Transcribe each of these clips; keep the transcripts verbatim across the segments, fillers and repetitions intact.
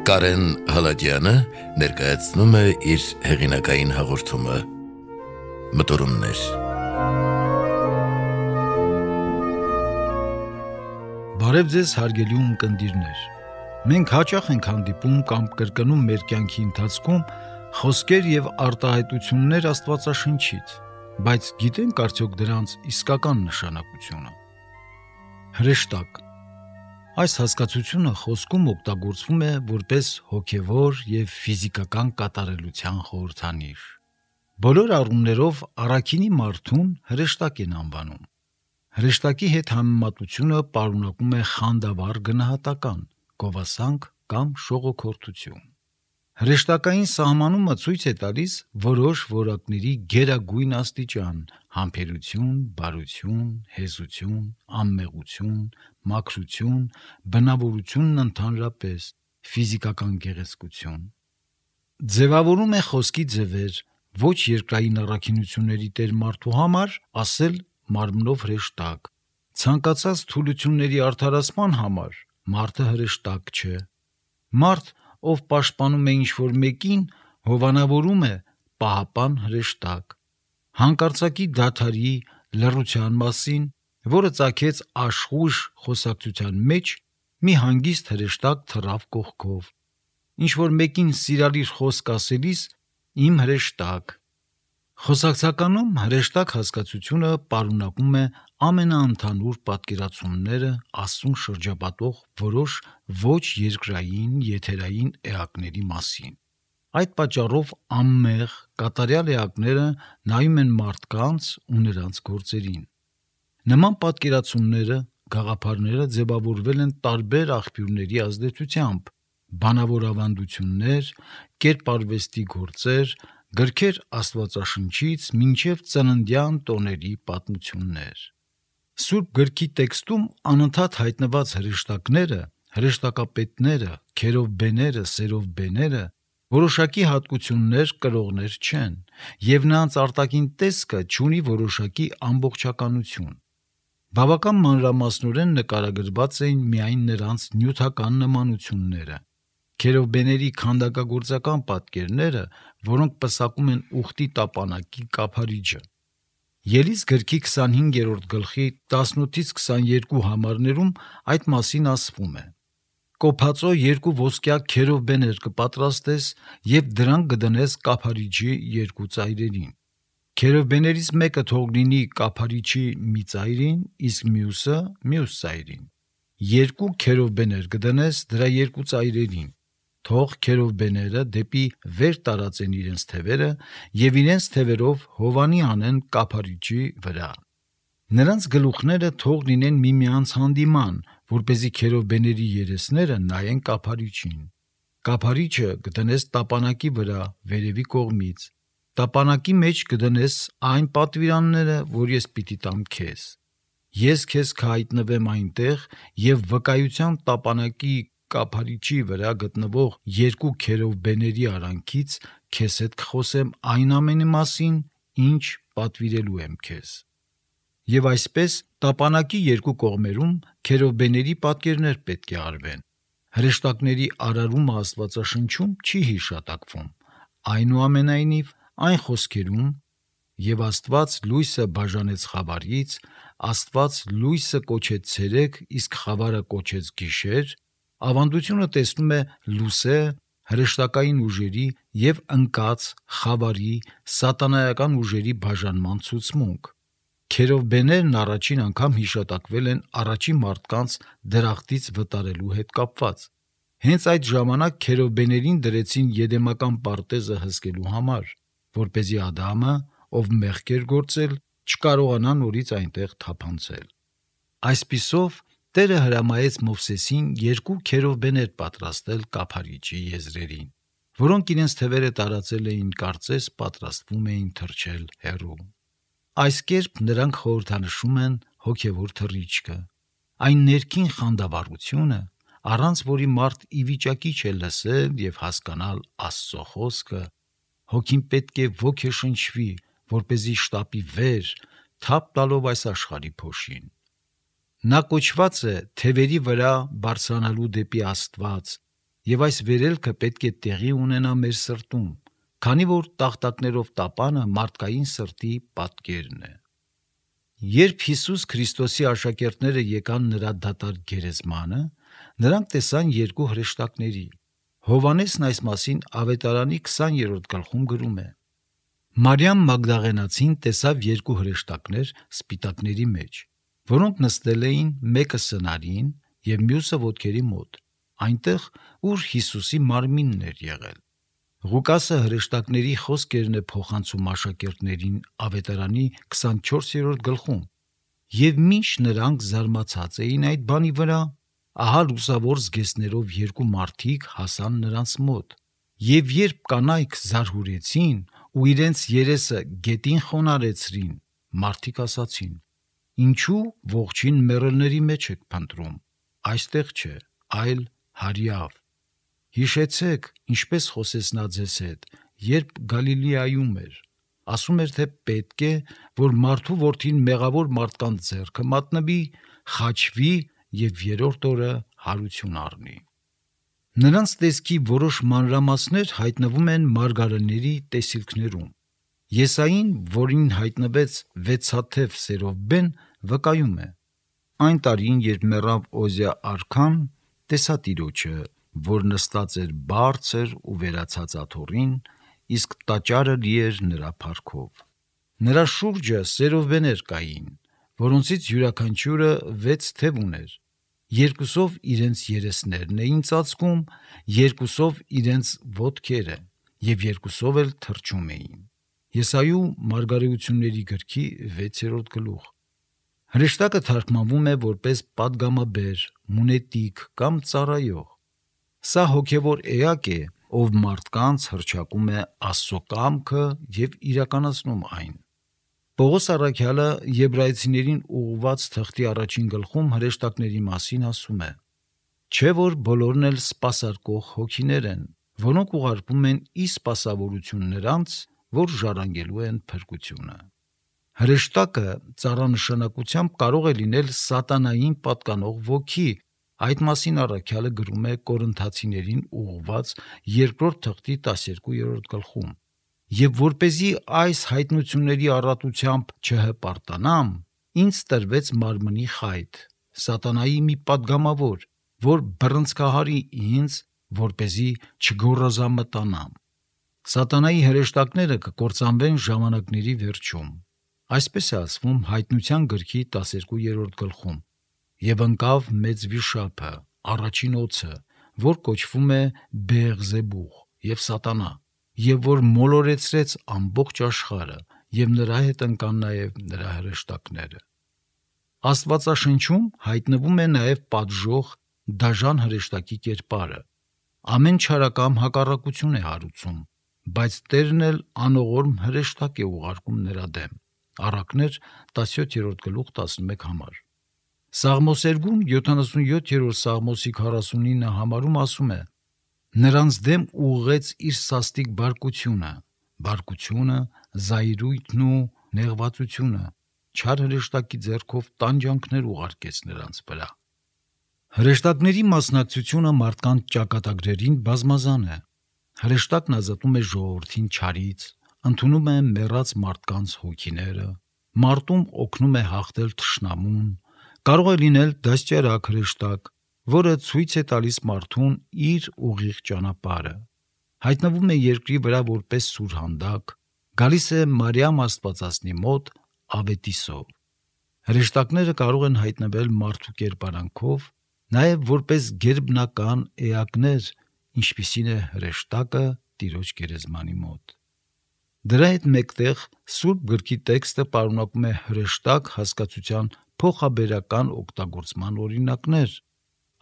Կարեն Հալաջյանը ներկայացնում է իր հեղինակային հաղորդումը Մտորումներ։ Բարև ձեզ հարգելի ունկնդիրներ։ Մենք հաճախ ենք հանդիպում կամ կրկնում մեր կյանքի ընթացքում խոսքեր եւ արտահայտություններ Աստվածաշնչից, բայց գիտենք արդյոք դրանց իսկական նշանակությունը։ Հրեշտակ։ Այս հասկացությունը խոսքում օգտագործվում է որպես հոգևոր եւ ֆիզիկական կատարելության խորհրդանիշ։ Բոլոր առումներով առաքինի մարդուն հրեշտակ են անվանում։ Հրեշտակի հետ համեմատությունը պարունակում է խանդավառ գնահատական, գովասանք կամ շողոքորթություն։ Հրեշտակային սահմանումը ցույց է տալիս որոշ որակների գերագույն աստիճան՝ համբերություն, բարություն, հեզություն, անմեղություն, մաքրություն, բնավորությունն ընդհանրապես, ֆիզիկական գեղեցկություն։ Ձևավորում է խոսքի ձևեր, ոչ երկրային առաքինությունների տեր մարդու համար ասել մարմնով հրեշտակ, ցանկացած թուլությունների արդարացման համար մարդը հրեշտակ չէ։ Մարդ, ով պաշտպանում է ինչ-որ մեկին, հովանավորում է պահապան հրեշտակ։ Հանկարծակի դադարի, լռության մասին, որը ծագեց աշխույժ խոսակցության մեջ, մի հանգիստ հրեշտակ թռավ կողքով։ Ինչ-որ մեկին սիրալիր խոսք ասելիս իմ հրեշտակ։ Խոսակցականում հրեշտակ հասկացությունը պարունակում է ամենաընդհանուր պատկերացումները Աստծուն շրջապատող որոշ ոչ երկրային եթերային էակների մասին։ Այդ պատճառով անմեղ, կատարյալ էակները նայում են մարդկանց ու նրանց գործերին։ Նման պատկերացումները, գաղափարները ձևավորվել են տարբեր աղբյուրների ազդեցությամբ՝ բանավոր ավանդություններ, կերպարվեստի գործեր, գրքեր Աստվածաշնչից մինչև ծննդյան տոների պատմություններ։ Սուրբ գրքի տեքստում անընդհատ հայտնված հրեշտակները, հրեշտակապետները, քերովբեները, սերովբեները որոշակի հատկություններ կրողներ չեն, և նրանց արտաքին տեսքը չունի որոշակի ամբողջականություն։ Բավական մանրամասնորեն նկարագրված էին միայն նրանց նյութական նմանությունները։ Քերովբեների քանդակագործական պատկերները, որոնք պսակում են ուխտի տապանակի կափարիչը։ Ելից գրքի քսանհինգերորդ գլխի տասնութից քսաներկու համարներում այդ մասին ասվում է. «Կոփածո երկու ոսկյա քերովբեներ կպատրաստես և դրանք կդնես կափարիչի երկու ծայրերին։ Քերովբեներից մեկը թող լինի կափարիչի մի ծայրին, իսկ մյուսը մյուս ծայրին։ Երկու քերովբեներ կդնես դրա երկու ծայրերին։ Թող քերովբեները դեպի վեր տարածեն իրենց թևերը և իրենց թևերով հովանի անեն կափարիչի վրա։ Նրանց գլուխները թող լինեն միմյանց հանդիման, որպեսզի քերովբեների երեսները նայեն կափարիչին։ Կափարիչը կդնես տապանակի վրա վերևի կողմից։ Տապանակի մեջ կդնես այն պատվիրանները, որ ես պիտի տամ քեզ։ Ես քեզ կհայտնվեմ այնտեղ և վկայության տապանակի կափարիչի վրա գտնվող երկու քերովբեների արանքից քեզ հետ կխոսեմ այն ամենի մասին, ինչ պատվիրելու եմ քեզ։ Եվ այսպես տապանակի երկու կողմերում քերովբեների պատկերներ պետք է արվեն։ Հրեշտակների արարումը Աստվածաշնչում չի հիշատակվում, այնուամենայնիվ այն խոսքերում «Եվ Աստված լույսը բաժանեց խավարից, Աստված լույսը կոչեց ցերեկ, իսկ խավարը կոչեց գիշեր» ավանդությունը տեսնում է լուսե, հրեշտակային ուժերի և ընկած, խավարի, սատանայական ուժերի բաժանման ցուցմունք։ Քերովբեներն առաջին անգամ հիշատակվել են առաջին մարդկանց դրախտից վտարելու հետ կապված։ Հենց այդ ժամանակ քերովբեներին դրեցին Եդեմական պարտեզը հսկելու համար, որպեսզի Ադամը, ով մեղք էր գործել, չկարողանա նորից այնտեղ թափանցել։ Այսպիսով Տերը հրամայեց Մովսեսին երկու քերովբեներ պատրաստել կափարիչի եզրերին, որոնք իրենց թևերը տարածել էին կարծես պատրաստվում էին թռչել հեռու։ Այս կերպ նրանք խորհրդանշում են հոգևոր թռիչքը, այն ներքին խանդավառությունը, առանց որի մարդ ի վիճակի չէ լսել և հասկանալ Աստծո խոսքը, հոգին պետք է ոգեշնչվի, որպեսզի շտապի վեր, թափ տալով այս աշխարհի փոշին։ Նա կոչված է թևերի վրա բարձրանալու դեպի Աստված եւ այս վերելքը պետք է տեղի ունենա մեր սրտում, քանի որ տախտակներով տապանը մարդկային սրտի պատկերն է։ Երբ Հիսուս Քրիստոսի աշակերտները եկան նրա դատարկ գերեզմանը, նրանք տեսան երկու հրեշտակների։ Հովհաննեսն այս մասին Ավետարանի քսաներորդ գլխում գրում է. Մարիամ Մագդաղենացին տեսավ երկու հրեշտակներ սպիտակների մեջ, որոնք նստել էին մեկը սնարին եւ մյուսը ոտքերի մոտ, այնտեղ, ուր Հիսուսի մարմինն էր եղել։ Ղուկասը հրեշտակների խոսքերն է փոխանցում աշակերտներին Ավետարանի քսանչորսերորդ գլխում, եւ մինչ նրանք զարմացած էին այդ բանի վրա, ահա լուսավոր զգեստներով երկու մարդիկ հասան նրանց մոտ, եւ երբ կանայք զարհուրեցին ու իրենց երեսը գետին խոնարեցրին, մարդիկ ասացին. ինչու ողջին մեռելների մեջ եք փնտրում, այստեղ չէ, այլ հարյավ։ Հիշեցեք, ինչպես խոսեց նա ձեզ հետ, երբ Գալիլեայում էր, ասում էր, թե պետք է, որ մարդու որդին մեղավոր մարդկանց ձեռքը մատնվի, խաչվի եւ երրորդ օրը հարություն առնի։ Նրանց տեսքի որոշ մանրամասներ հայտնվում են մարգարեների տեսիլքներում։ Եսային, որին հայտնվեց վեցաթև սերովբեն, վկայում է. այն տարին, երբ մեռավ Օզիա արքան, տեսա Տիրոջը, որ նստած էր բարձր ու վերացած աթոռին, իսկ տաճարը լի էր նրա փառքով։ Նրա շուրջը սերովբեներ կային, որոնցից յուրաքանչյուրը վեց թև ուներ։ Երկուսով իրենց երեսներն էին ծածկում, երկուսով իրենց ոտքերը եւ երկուսով էլ թռչում էին։ Եսայու մարգարեությունների գրքի վեցերորդ գլուխ։ Հրեշտակը թարգմանվում է որպես պատգամաբեր, մունետիկ կամ ծառայող։ Սա հոգևոր էակ է, ով մարդկանց հռչակում է Աստծո կամքը եւ իրականացնում այն։ Պողոս առաքյալը Եբրայեցիներին ուղղված թղթի առաջին գլխում հրեշտակների մասին ասում է. չէ որ բոլորն էլ սպասարկող հոգիներ են, որոնք ուղարկվում են ի սպասավորություն նրանց, որ ժառանգելու են փրկությունը։ Հրեշտակը ծառանշանակությամբ կարող է լինել սատանային պատկանող ոգի, այդ մասին առաքյալը գրում է Կորինթացիներին ուղղված երկրորդ թղթի տասներկուերորդ գլխում։ Եվ որպեսզի այս հայտնությունների առատությամբ չհպարտանամ, ինձ տրվեց մարմնի խայտ, սատանայի մի պատգամավոր, որ բռնցքահարի ինձ, որպեսզի չգոռոզամտանամ։ Սատանայի հրեշտակները կկործանվեն ժամանակների վերջում։ Այսպես է ասվում Հայտնության գրքի տասներկուերորդ գլխում. եւ ընկավ մեծ վիշապը, առաջին օձը, որ կոչվում է Բեեղզեբուղ եւ Սատանա, եւ որ մոլորեցրեց ամբողջ աշխարհը, եւ նրա հետ ընկան նաեւ նրա հրեշտակները։ Աստվածաշնչում հայտնվում է նաեւ պատժող դաժան հրեշտակի կերպարը։ Ամեն չարակամ հակառակություն է հարուցում, բայց Տերն էլ անողորմ հրեշտակ է ուղարկում նրա դեմ։ Առակներ տասնյոթերորդ գլուխ տասնմեկ համար։ Սաղմոսերգուն յոթանասունյոթերորդ Սաղմոսի քառասունինը համարում ասում է. նրանց դեմ ուղղեց իր սաստիկ բարկությունը, բարկությունը, զայրույթն ու նեղվածությունը, չար հրեշտակի ձեռքով տանջանքներ ուղարկեց նրանց վրա։ Հրեշտակների մասնակցությունը մարդկանց ճակատագրերին բազմազան է։ Հրեշտակն ազատում է ժողովրդին չարից, ընդունում է մեռած մարդկանց հոգիները, մարտում օգնում է հաղթել թշնամուն, կարող է լինել դաստիարակ հրեշտակ, որը ցույց է տալիս մարդուն իր ուղիղ ճանապարհը, հայտնվում է երկրի վրա որպես սուրհանդակ, գալիս է Մարիամ Աստվածածնի մոտ ավետիսով։ Հրեշտակները կարող են հայտնվել մարդու կերպարանքով, նաև որպես գերբնական էակներ, ինչպիսին է հրեշտակը Տիրոջ գերեզմանի մոտ։ Դրա հետ մեկտեղ Սուրբ գրքի տեքստը պարունակում է հրեշտակ հասկացության փոխաբերական օգտագործման օրինակներ։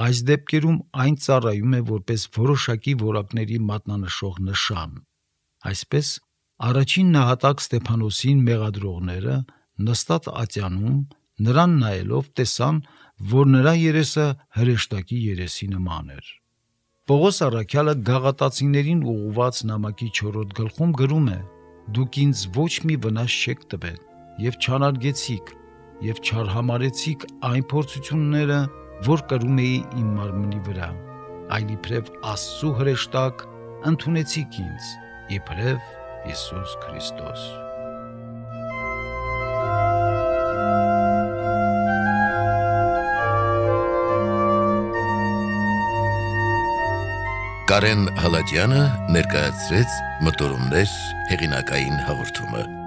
Այս դեպքերում այն ծառայում է որպես որոշակի որակների մատնանշող նշան։ Այսպես, առաջին նահատակ Ստեփանոսին մեղադրողները նստած ատյանում նրան նայելով տեսան, որ նրա երեսը հրեշտակի երեսի նման էր։ Պողոս առաքյալը Գաղատացիներին ուղղված նամակի չորրորդ գլխում գրում է. «Դուք ինձ ոչ մի վնաս չեք տվել եւ չանարգեցիք եւ չարհամարեցիք այն փորձությունները, որ կրում էի իմ մարմնի վրա, այլ իբրև Աստծու հրեշտակ ընդունեցիք ինձ, իբրև Հիսուս Քրիստոս։ Կարեն Հալաջյանը ներկայացրեց Մտորումներ հեղինակային հաղորդումը։